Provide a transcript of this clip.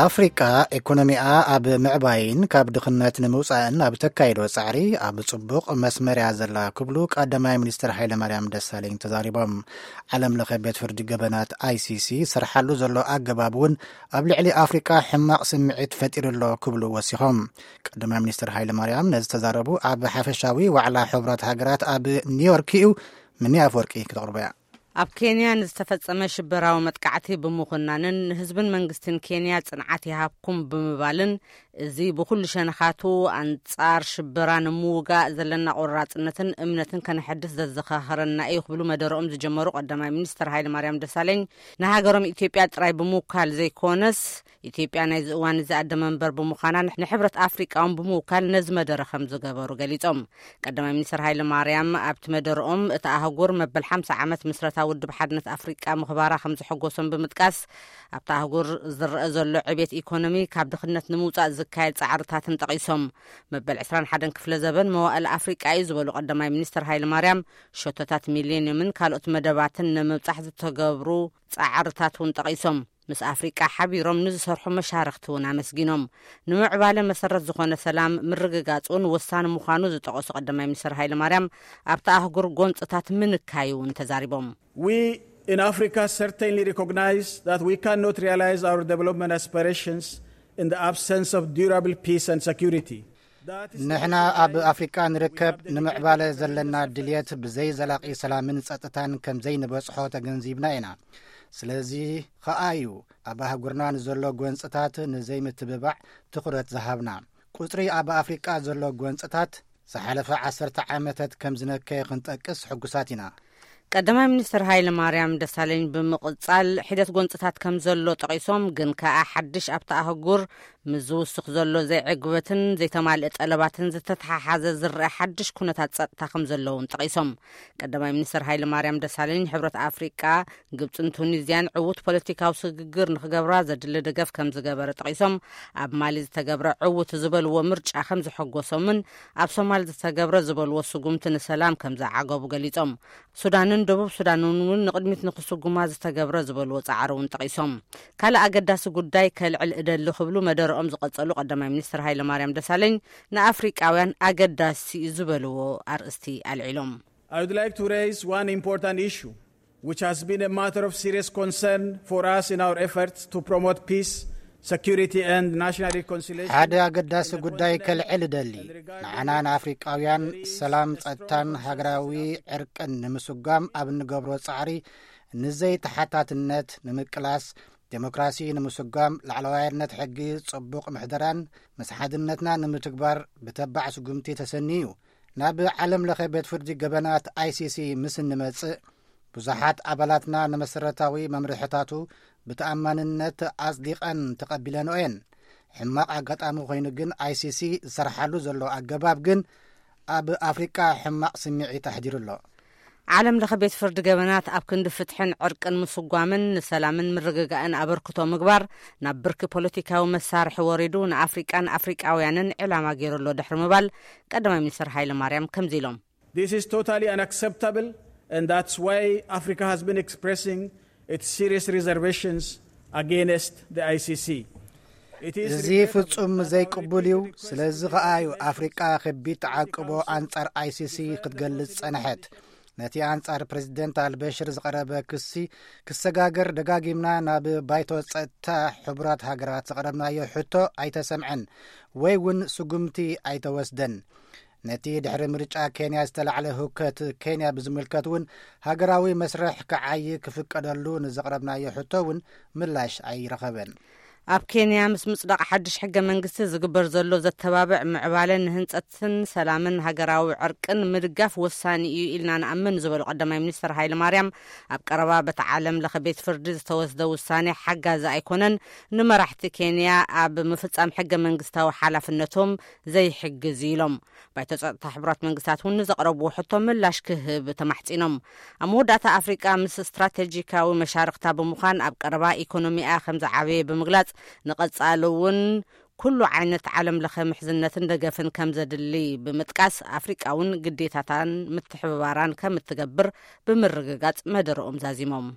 ኣፍሪቃ ኢኮኖሚኣ ኣብ ምዕባይን ካብ ድኽነት ንምውጻእን ኣብ ተካይዶ ጻዕሪ ኣብ ጽቡቕ መስመር እያ ዘላ ክብሉ ቀዳማይ ሚኒስትር ሃይለማርያም ደሳለኝ ተዛሪቦም። ዓለም ለኸ ቤት ፍርዲ ገበናት ኣይሲሲ ዝሰርሓሉ ዘሎ ኣገባብ እውን ኣብ ልዕሊ ኣፍሪቃ ሕማቕ ስምዒት ፈጢሩ ኣሎ ክብሉ ወሲኾም። ቀዳማይ ሚኒስትር ሃይለማርያም ነዚ ተዛረቡ ኣብ ሓፈሻዊ ዋዕላ ሕቡራት ሃገራት ኣብ ኒውዮርክ እዩ። ምኒ ኣፍወርቂ ክተቕርቦ እያ። ኣብ ኬንያ ንዝተፈጸመ ሽበራዊ መጥቃዕቲ ብምኹናንን ንህዝብን መንግስትን ኬንያ ጽንዓት ይሃብኩም ብምባልን፣ እዚ ብኹሉ ሸነኻቱ ኣንጻር ሽበራ ንምውጋእ ዘለና ቆራጽነትን እምነትን ከነሐድስ ዘዘኻኸረና እዩ ክብሉ መደረኦም ዝጀመሩ ቀዳማይ ሚኒስትር ሃይለማርያም ደሳለኝ፣ ንሃገሮም ኢትዮጵያ ጥራይ ብምውካል ዘይኮነስ፣ ኢትዮጵያ ናይዚ እዋን እዚ ኣደ መንበር ብምዃና ንሕብረት ኣፍሪቃ እውን ብምውካል ነዚ መደረ ከም ዝገበሩ ገሊጾም። ቀዳማይ ሚኒስትር ሃይለ ማርያም ኣብቲ መደረኦም፣ እቲ ኣህጉር መበል ሓምሳ ዓመት ምስረታ ውድብ ሓድነት ኣፍሪቃ ምኽባራ ከም ዘሐጎሶም ብምጥቃስ፣ ኣብቲ ኣህጉር ዝረአ ዘሎ ዕቤት ኢኮኖሚ ካብ ድኽነት ንምውጻእ ዝካየድ ጻዕርታትን ጠቒሶም። መበል ዕስራን ሓደን ክፍለ ዘበን መዋእል ኣፍሪቃ እዩ ዝበሉ ቀዳማይ ሚኒስትር ሃይለ ማርያም፣ ሸቶታት ሚሌንየምን ካልኦት መደባትን ንምብጻሕ ዝተገብሩ ጻዕርታት እውን ጠቒሶም። ምስ ኣፍሪቃ ሓቢሮም ንዝሰርሑ መሻርኽቲ እውን ኣመስጊኖም። ንምዕባለ መሰረት ዝኾነ ሰላም ምርግጋጽ እውን ወሳኒ ምዃኑ ዝጠቐሱ ቀዳማይ ሚኒስትር ሃይለ ማርያም፣ ኣብቲ ኣህጉር ጎንጽታት ምንካዩ እውን ተዛሪቦም። We in Africa certainly recognize that we cannot realize our development aspirations in the absence of durable peace and security. That is ንሕና ኣብ ኣፍሪቃ ንርከብ ንምዕባለ ዘለና ድልየት ብዘይ ዘላቒ ሰላምን ጸጥታን ከም ዘይንበጽሖ ተገንዚብና ኢና። ስለዚ ኸኣ እዩ ኣብ ኣህጉርና ንዘሎ ጎንጽታት ንዘይምትብባዕ ትኹረት ዝሃብና። ቁጽሪ ኣብ ኣፍሪቃ ዘሎ ጎንጽታት ዝሓለፈ ዓሰርተ ዓመታት ከም ዝነከየ ክንጠቅስ ሕጉሳት ኢና። ቀዳማይ ሚኒስትር ሃይለ ማርያም ደሳለኝ ብምቕጻል፣ ሒደት ጎንጽታት ከም ዘሎ ጠቒሶም፣ ግን ከኣ ሓድሽ ኣብቲ ኣህጉር ምስ ዝውስኽ ዘሎ ዘይዕግበትን ዘይተማልአ ጠለባትን ዝተተሓሓዘ ዝረአ ሓድሽ ኩነታት ጸጥታ ከም ዘሎ እውን ጠቒሶም። ቀዳማይ ሚኒስትር ሃይለ ማርያም ደሳለኝ፣ ሕብረት ኣፍሪቃ፣ ግብጽን ቱኒዝያን ዕዉት ፖለቲካዊ ስግግር ንክገብራ ዘድሊ ደገፍ ከም ዝገበረ ጠቒሶም፣ ኣብ ማሊ ዝተገብረ ዕዉት ዝበልዎ ምርጫ ከም ዘሐጎሶምን ኣብ ሶማል ዝተገብረ ዝበልዎ ስጉምቲ ንሰላም ከም ዘዓገቡ ገሊጾም። ሱዳንን ደቡብ ሱዳንን እውን ንቕድሚት ንክስጉማ ዝተገብረ ዝበልዎ ጻዕሪ እውን ጠቒሶም። ካልእ ኣገዳሲ ጉዳይ ከልዕል እደሊ ክብሉ መደረኦም ዝቐጸሉ ቀዳማይ ሚኒስትር ሃይለ ማርያም ደሳለኝ፣ ንኣፍሪቃውያን ኣገዳሲ እዩ ዝበልዎ ኣርእስቲ ኣልዒሎም። I would like to raise one important issue which has been a matter of serious concern for us in our efforts to promote peace, security and national reconciliation. ሓደ ኣገዳሲ ጉዳይ ከልዕል እደሊ። ንዓና ንኣፍሪቃውያን ሰላም፣ ጸጥታን ሃገራዊ ዕርቅን ንምስጓም ኣብ እንገብሮ ጻዕሪ፣ ንዘይተሓታትነት ንምቅላስ፣ ዴሞክራሲ ንምስጓም፣ ላዕለዋይነት ሕጊ፣ ጽቡቕ ምሕደራን ምስ ሓድነትና ንምትግባር ብተባዕ ስጉምቲ ተሰንዩ እዩ። ናብ ዓለም ለኸ ቤት ፍርዲ ገበናት ኣይሲሲ ምስ እንመጽእ፣ ብዙሓት ኣባላትና ንመሰረታዊ መምርሕታቱ ብተኣማንነት ኣጽዲቐን ተቐቢለንኦ እየን። ሕማቕ ኣጋጣሚ ኮይኑ ግን ኣይሲሲ ዝሰርሓሉ ዘሎ ኣገባብ ግን ኣብ ኣፍሪቃ ሕማቕ ስምዒት ኣሕዲሩ ኣሎ። ዓለም ለኸ ቤት ፍርዲ ገበናት ኣብ ክንዲ ፍትሕን ዕርቅን ምስጓምን ንሰላምን ምርግጋእን ኣበርክቶ ምግባር፣ ናብ ብርኪ ፖለቲካዊ መሳርሒ ወሪዱ ንኣፍሪቃን ኣፍሪቃውያንን ዕላማ ገይሩ ኣሎ ድሕሪ ምባል፣ ቀዳማይ ሚኒስትር ሃይለ ማርያም ከምዚ ኢሎም። This is totally unacceptable, and that's why Africa has been expressing its serious reservations against the I C C. It is እዚ regrettable ፍጹም that our ዘይቅቡል እዩ። Equatorial ስለዚ Republic ከኣ እዩ has አፍሪቃ ከቢድ ተዓቅቦ አንጻር I C C ክትገልጽ ጸንሐት። ነቲ ኣንጻር ፕሬዚደንት ኣልበሽር ዝቐረበ ክሲ ክሰጋገር ደጋጊምና ናብ ባይቶ ጸጥታ ሕቡራት ሃገራት ዘቕረብናዮ ሕቶ ኣይተሰምዐን ወይ እውን ስጉምቲ ኣይተወስደን። ነቲ ድሕሪ ምርጫ ኬንያ ዝተላዕለ ህውከት ኬንያ ብዝምልከት እውን ሃገራዊ መስርሕ ክዓዪ ክፍቀደሉ ንዘቕረብናዮ ሕቶ እውን ምላሽ ኣይረኸበን። ኣብ ኬንያ ምስ ምጽዳቕ ሓድሽ ሕገ መንግስቲ ዝግበር ዘሎ ዘተባብዕ ምዕባለ ንህንጸትን ሰላምን ሃገራዊ ዕርቅን ምድጋፍ ወሳኒ እዩ ኢልና ንኣምን ዝበሉ ቀዳማይ ሚኒስትር ሃይለ ማርያም፣ ኣብ ቀረባ በቲ ዓለም ለኸ ቤት ፍርዲ ዝተወስደ ውሳኔ ሓጋዚ ኣይኮነን፣ ንመራሕቲ ኬንያ ኣብ ምፍጻም ሕገ መንግስታዊ ሓላፍነቶም ዘይሕግዝ ኢሎም። ባይቶ ጸጥታ ሕቡራት መንግስታት እውን ንዘቕረብዎ ሕቶ ምላሽ ክህብ ተማሕጺኖም። ኣብ መወዳእታ ኣፍሪቃ ምስ ስትራቴጂካዊ መሻርኽታ ብምዃን ኣብ ቀረባ ኢኮኖሚኣ ከም ዝዓበየ ብምግላጽ፣ ንቐጻሊ እውን ኩሉ ዓይነት ዓለም ለኸ ምሕዝነትን ደገፍን ከም ዘድሊ ብምጥቃስ፣ ኣፍሪቃ እውን ግዴታታን ምትሕብባራን ከም እትገብር ብምርግጋጽ መደረኦም ዛዚሞም።